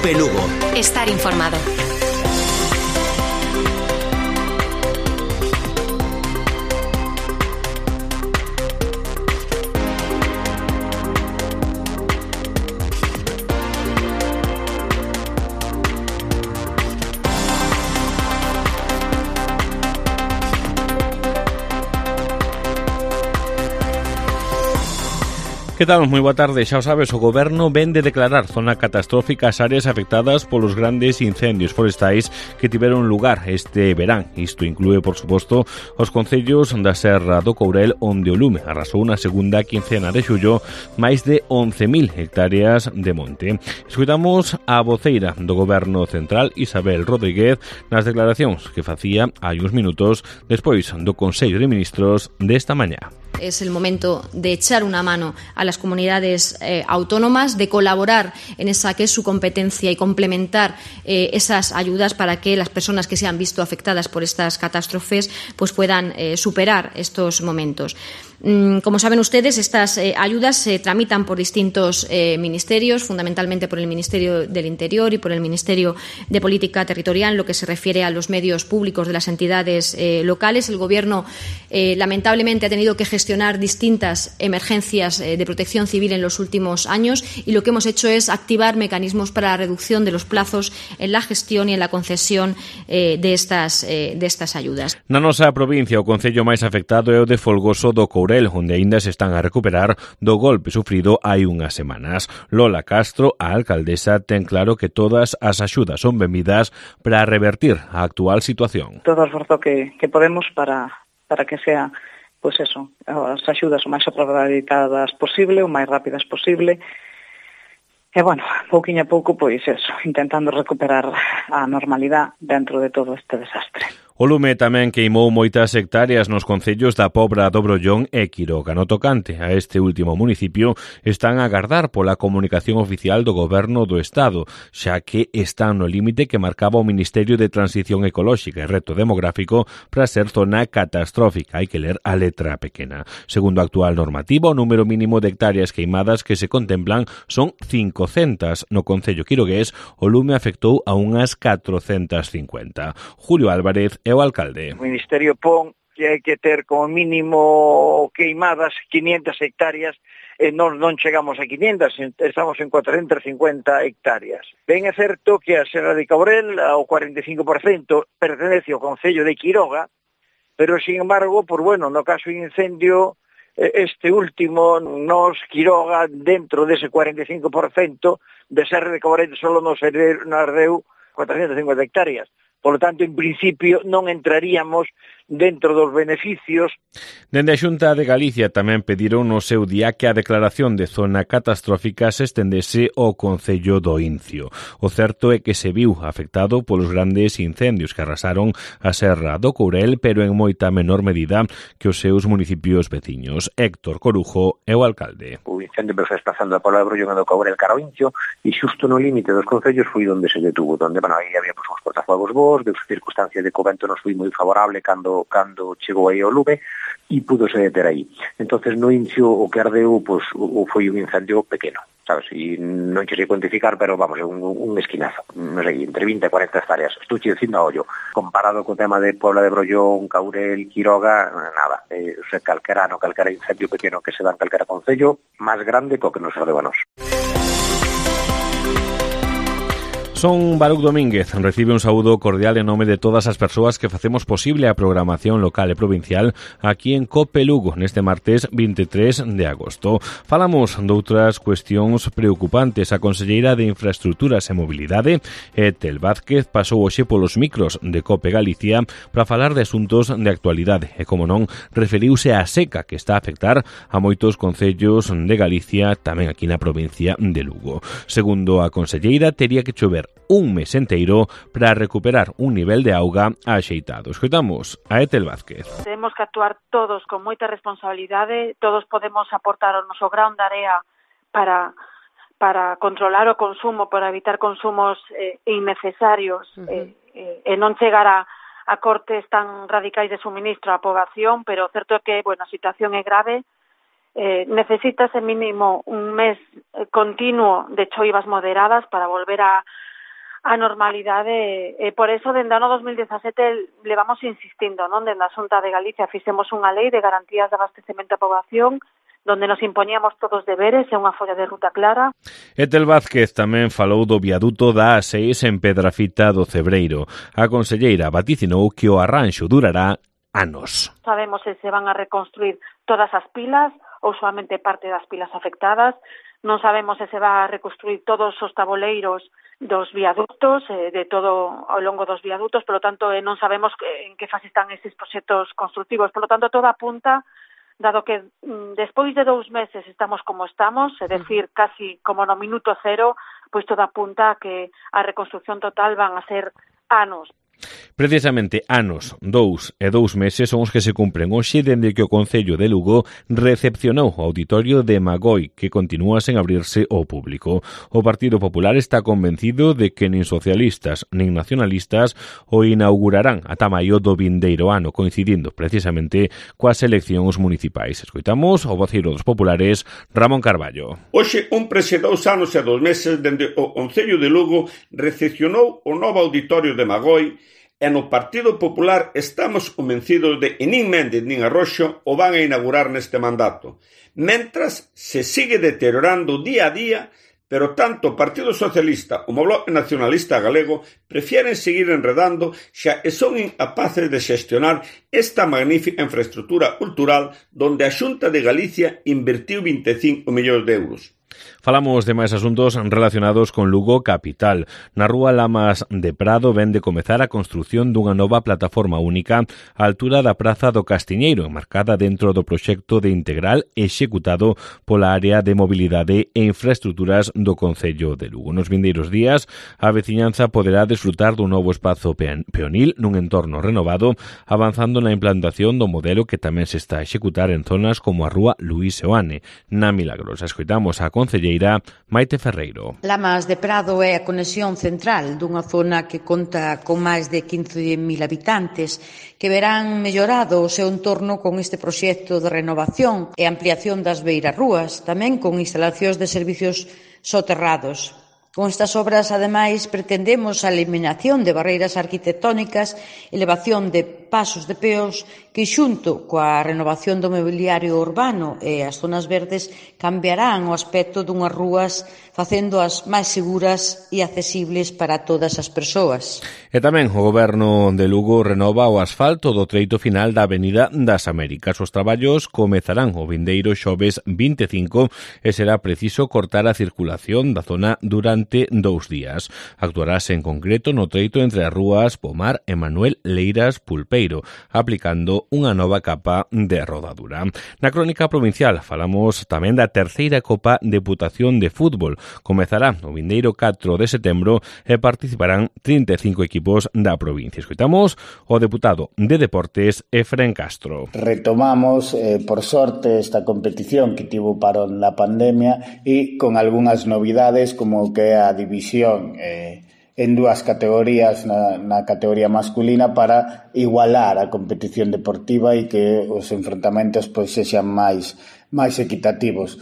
COPE Lugo. Estar informado. Que tal? Moi boa tarde. Xa o sabes, o Goberno ven de declarar zona catastrófica as áreas afectadas polos grandes incendios forestais que tiveron lugar este verán. Isto inclúe, por suposto, os concellos da Serra do Courel, onde o lume arrasou na segunda quincena de xullo máis de 11.000 hectáreas de monte. Escoitamos a voceira do Goberno Central, Isabel Rodríguez, nas declaracións que facía hai uns minutos despois do Consello de Ministros desta mañá. Es el momento de echar una mano a las comunidades autónomas, de colaborar en esa que es su competencia y complementar esas ayudas para que las personas que se han visto afectadas por estas catástrofes pues puedan superar estos momentos. Como saben ustedes, estas ayudas se tramitan por distintos ministerios, fundamentalmente por el Ministerio del Interior y por el Ministerio de Política Territorial, en lo que se refiere a los medios públicos de las entidades locales. El Gobierno, lamentablemente, ha tenido que gestionar distintas emergencias de protección civil en los últimos años y lo que hemos hecho es activar mecanismos para la reducción de los plazos en la gestión y en la concesión de estas ayudas. Na nosa provincia, o concello máis afectado é o de Folgoso do Courel, onde aínda se están a recuperar do golpe sufrido hai unhas semanas. Lola Castro, a alcaldesa, ten claro que todas as axudas son benvidas para revertir a actual situación. Todo o esforzo que podemos para que sea, pois eso, as axudas o máis aproveitadas posible, o máis rápidas posible. E, bueno, pouquiño a pouco, pois eso, intentando recuperar a normalidade dentro de todo este desastre. O lume tamén queimou moitas hectáreas nos concellos da Pobra do Brollón e Quiroga. No tocante a este último municipio están a agardar pola comunicación oficial do Goberno do Estado, xa que están no límite que marcaba o Ministerio de Transición Ecolóxica e Reto Demográfico para ser zona catastrófica. Hai que ler a letra pequena. Segundo a actual normativa, o número mínimo de hectáreas queimadas que se contemplan son 500. No concello quirogués, o lume afectou a unhas 450. Julio Álvarez é o alcalde. O Ministerio pon que hai que ter como mínimo queimadas 500 hectáreas e non chegamos a 500, estamos en 450 hectáreas. Ben é certo que a Serra de Courel, ao 45%, pertenece ao concello de Quiroga, pero, sin embargo, no caso de incendio, este último, nos Quiroga, dentro dese 45% de Serra de Courel, solo nos ardeu 450 hectáreas. Por lo tanto, en principio, non entraríamos dentro dos beneficios. Dende a Xunta de Galicia tamén pediron no seu día que a declaración de zona catastrófica se estendese ao concello do Incio. O certo é que se viu afectado polos grandes incendios que arrasaron a Serra do Courel, pero en moita menor medida que os seus municipios veciños. Héctor Corujo é o alcalde. O incendio se desplazando a Pobra do Brollón e do Courel cara ao Incio e xusto no límite dos concellos foi onde se detuvo, onde, aí había uns portafuegos bons, de circunstancias de que o vento nos foi moi favorable cando chegou aí o lume e pudose deter aí. Entonces no Incio o que ardeu foi un incendio pequeno, sabes? E non sei cuantificar, pero vamos, é un esquinazo, non sei, entre 20 e 40 hectáreas. Estou dicindo a ollo. Comparado co tema de Pobra de Brollón, Courel, Quiroga, nada. Calquera incendio pequeno que se dá en calquera concello, máis grande co que nos ardeu a nós. Son Baruc Domínguez, recibe un saúdo cordial en nome de todas as persoas que facemos posible a programación local e provincial aquí en COPE Lugo neste martes 23 de agosto. Falamos doutras cuestións preocupantes. A conselleira de Infraestructuras e Mobilidade, Etel Vázquez, pasou hoxe polos micros de COPE Galicia para falar de asuntos de actualidade e, como non, referiuse á seca que está a afectar a moitos concellos de Galicia, tamén aquí na provincia de Lugo. Segundo a conselleira, tería que chover un mes enteiro para recuperar un nivel de auga axeitado. Escoitamos a Etel Vázquez. Temos que actuar todos con moita responsabilidade, todos podemos aportar o noso grán de area para controlar o consumo, para evitar consumos innecesarios e non chegar a cortes tan radicais de suministro á poboación, pero o certo é que, a situación é grave. Necesítase mínimo un mes continuo de choivas moderadas para volver a a normalidade, e por eso dende o ano 2017 levamos insistindo, non? Dende a Xunta de Galicia fixemos unha lei de garantías de abastecemento á poboación donde nos impoñíamos todos deberes e unha folla de ruta clara. Etel Vázquez tamén falou do viaduto da A6 en Pedrafita do Cebreiro. A conselleira vaticinou que o arranxo durará anos. Sabemos se van a reconstruir todas as pilas ou solamente parte das pilas afectadas. Non sabemos se va a reconstruir todos os taboleiros dos viaductos, de todo ao longo dos viadutos, polo tanto non sabemos en que fase están eses proxectos constructivos. Polo tanto, todo apunta, dado que despois de 2 meses estamos como estamos, é dicir, casi como no minuto cero, pois todo apunta a que a reconstrucción total van a ser anos. Precisamente anos, 2 e 2 meses son os que se cumpren hoxe dende que o Concello de Lugo recepcionou o auditorio de Magoi, que continúa sen abrirse ao público. O Partido Popular está convencido de que nin socialistas nin nacionalistas o inaugurarán ata maio do vindeiro ano, coincidindo precisamente coas eleccións municipais. Escoitamos o voceiro dos populares, Ramón Carballo. Hoxe cumprense 2 anos e 2 meses dende o Concello de Lugo recepcionou o novo auditorio de Magoi. E no Partido Popular estamos convencidos de que nin Méndez nin Arroxo o van a inaugurar neste mandato, mentras se sigue deteriorando día a día, pero tanto o Partido Socialista como o Bloque Nacionalista Galego prefieren seguir enredando xa e son incapaces de xestionar esta magnífica infraestructura cultural donde a Xunta de Galicia invertiu 25 millóns de euros. Falamos de máis asuntos relacionados con Lugo capital. Na rúa Lamas de Prado ven de comezar a construción dunha nova plataforma única á altura da Praza do Castiñeiro, enmarcada dentro do proxecto de integral executado pola área de mobilidade e infraestructuras do Concello de Lugo. Nos vindeiros días, a veciñanza poderá desfrutar dun novo espazo peonil nun entorno renovado, avanzando na implantación do modelo que tamén se está a executar en zonas como a rúa Luís Seoane. Na Milagrosa, escoitamos a concelleira Maite Ferreiro. Lamas de Prado é a conexión central dunha zona que conta con máis de 15.000 habitantes que verán mellorado o seu entorno con este proxecto de renovación e ampliación das beirarrúas, tamén con instalacións de servicios soterrados. Con estas obras, ademais, pretendemos a eliminación de barreiras arquitectónicas, elevación de pasos de peos que, xunto coa renovación do mobiliario urbano e as zonas verdes, cambiarán o aspecto dunhas rúas facéndoas máis seguras e accesibles para todas as persoas. E tamén o Goberno de Lugo renova o asfalto do treito final da Avenida das Américas. Os traballos comezarán o vindeiro xoves 25 e será preciso cortar a circulación da zona durante 2 días. Actuarase en concreto no treito entre as rúas Pomar e Manuel Leiras Pulpeiro, aplicando unha nova capa de rodadura. Na crónica provincial falamos tamén da terceira Copa Deputación de Fútbol. Comezará o vindeiro 4 de setembro e participarán 35 equipos da provincia. Escoitamos o deputado de Deportes, Efrén Castro. Retomamos, por sorte, esta competición que tivo parón na pandemia e con algunhas novidades como que a división en 2 categorías na categoría masculina para igualar a competición deportiva e que os enfrontamentos pois sexan máis equitativos.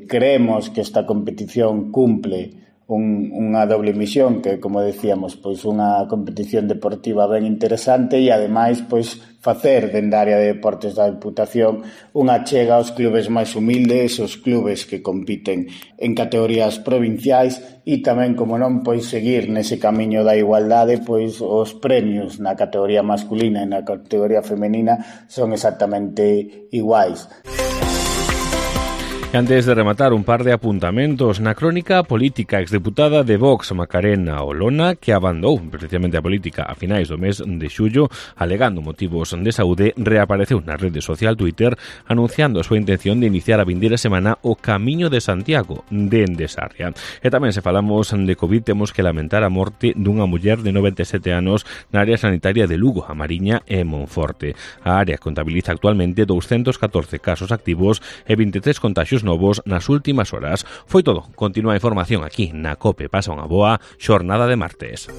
Creemos que esta competición cumple unha doble misión que, como decíamos, pois unha competición deportiva ben interesante e ademais pois facer dende a área de deportes da Deputación unha chega aos clubes máis humildes, os clubes que compiten en categorías provinciais e tamén, como non, pois seguir nese camiño da igualdade, pois os premios na categoría masculina e na categoría femenina son exactamente iguais. Antes de rematar, un par de apuntamentos. Na crónica política, exdeputada de Vox, Macarena Olona, que abandou precisamente a política a finais do mes de xullo, alegando motivos de saúde, reapareceu na rede social Twitter anunciando a súa intención de iniciar a vindeira semana o Camiño de Santiago dende Sarria. E tamén, se falamos de COVID, temos que lamentar a morte dunha muller de 97 anos na área sanitaria de Lugo, a Mariña e Monforte. A área contabiliza actualmente 214 casos activos e 23 contaxios novos nas últimas horas. Foi todo. Continúa a información aquí na COPE. Pasa unha boa xornada de martes.